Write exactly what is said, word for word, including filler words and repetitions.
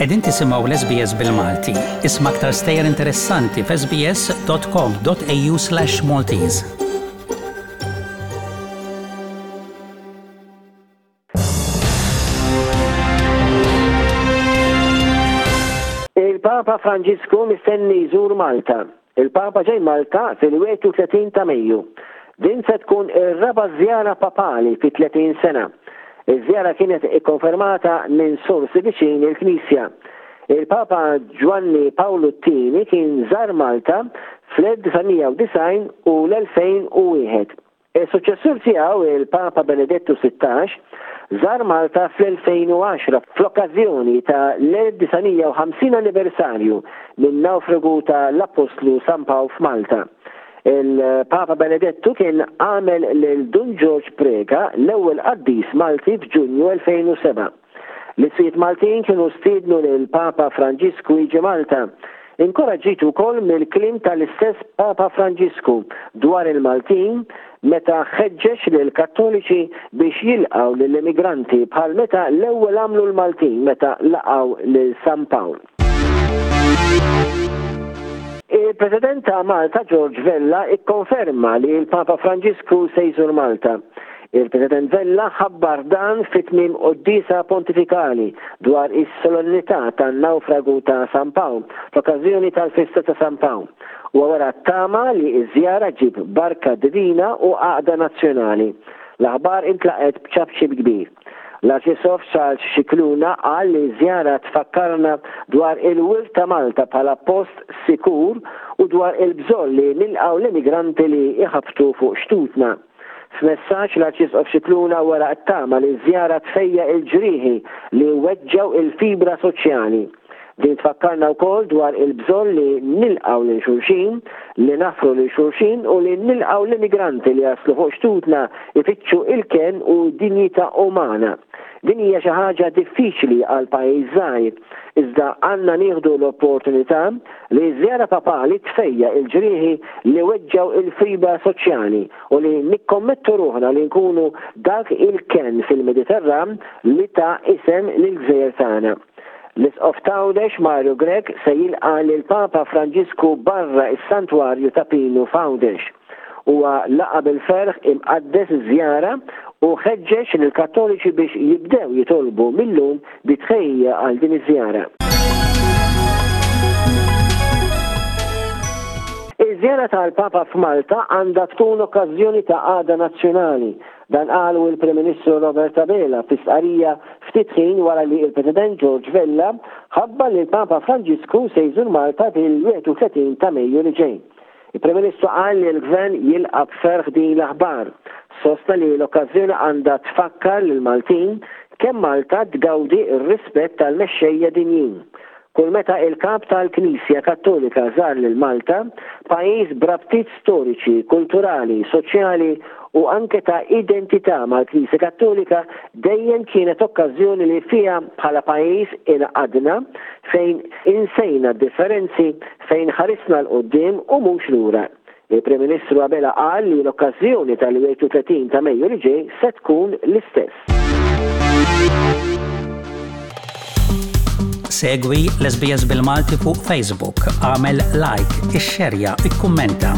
Qegħdin tisimgħu l-S B S bil-Malti. Isma' aktar stejjer interessanti f'S B S dot com dot A U slash Maltese. Il-Papa Franġisku mistenni jżur Malta. Il-Papa ġej Malta fil-wieħed u tletin ta' Mejju. Din se tkun ir-raba' żjara papali fi tletin sena. Iż-żjara kienet ikkonfermata minn sorsi viċin il-Knisja. Il-Papa Ġwanni Pawlu t-Tieni kien żar Malta fl-elf disa' mija u disgħin u l-elfejn u wieħed. Il-suċessur tiegħu, il-Papa Benedettu Sittax, żar Malta fl-elfejn u għaxra fl-okkażjoni ta' l-elf disa' mija u ħamsin anniversarju minn nawfragu ta' l-Apostlu San Pawl f'Malta. Il-Papa Benedettu kien għamel lil Dun George Preca l-ewwel qaddis Malti f'Ġunju elfejn u sebgħa. L-isqfijiet Maltin kienu stiednu lil Papa Franġisku jiġi Malta. Inkoraġġit ukoll mill-kliem tal-istess Papa Franġisku dwar il-Maltin meta ħeġġeġ lil Kattoliċi biex jilqgħu lill-immigranti bħal meta l-ewwel għamlu l-Maltin meta laqgħu lil San Pawl. Il-President ta' Malta George Vella ikkonferma li l-Papa Franġisku se jżur Malta. Il-President Vella ħabbar dan fit tmiem quddiesa pontifikali dwar is-solennità tan-nawfragu ta' San Pawl f'okkażjoni tal-festa ta' San Pawl. U wara tama li ż-żjara ġib barka divina u għaqda nazzjonali. L-aħbar intlaqet b'ċapċip kbir. L-Arċisqof Charles Scicluna qal li żjara tfakkarna dwar il-wirt ta' Malta bħala post sikur u dwar il-bżonn li nilqgħu l-immigranti li iħabtu fuq xtutna. F'messaġġ, l-Arċisqof Scicluna wera t-tama li żjara tfejjaq il-ġrieħi li weġġaw il-fibra soċjali. Din tfakkarna wkoll dwar il-bżonn li nilqgħu lil xulxin, li naħfru lil xulxin u li nilqgħu l-immigranti li jaslu fuq xtutna ifittxu il-ken u dinjità umana. Din hija xi ħaġa diffiċli għal pajjiż żgħir, iżda għandna nieħdu l-opportunità li żjara papali tfejjaq il-ġrieħi li weġġaw il-fibra soċjali u li nikkommettu ruħna li nkunu dak il-ken fil-Mediterran li ta isem lil-gżejjer tagħna. L-Isqof t'Għawdex Mario Grech se jilqa' lil Papa Franġisku barra is-Santwarju ta' Pinu f'Għawdex. Huwa laqa bil-ferħ imqaddes iż-żjara u ħeġġeġ lill-Kattoliċi biex jibdew jitolbu millum bi tħejjija għal din iż-żjara. Iż-żjara tal-Papa f'Malta għandha tkun okkażjoni ta' għaqda nazzjonali. Dan qalu il-Prim Ministru Robert Abela fi stqarrija ftit ħin wara li il-President George Vella ħabbar li l-Papa Franġisku se jżur Malta fil-wieħed u tletin ta' Mejju li ġej. Il-Prim Ministru qal li l-Gvern jilqa' b'ferħ din l-aħbar. Sostna li l-okkażjoni għandha tfakkar lil Maltin kemm Malta tgawdi r-rispett tal-mexxejja dinjin. Kull meta il-kap tal-Knisja Kattolika żar lil Malta, pajjiż b'rabtiet storiċi, kulturali, soċjali u anke ta' identità mal-Knisja Kattolika, dejjem kienet okkażjoni li fiha bħala pajjiż ingħaqadna, fejn insejna differenzi, fejn ħarisna 'l quddiem u mhux lura. Il-Prim Ministru Abela qal li l-okkażjoni tal-wieħed u tletin ta' Mejju li ġej se tkun l-istess. Segwi l-S B S bil-Malti fuq Facebook, agħmel like, ixxerja, ikkummenta.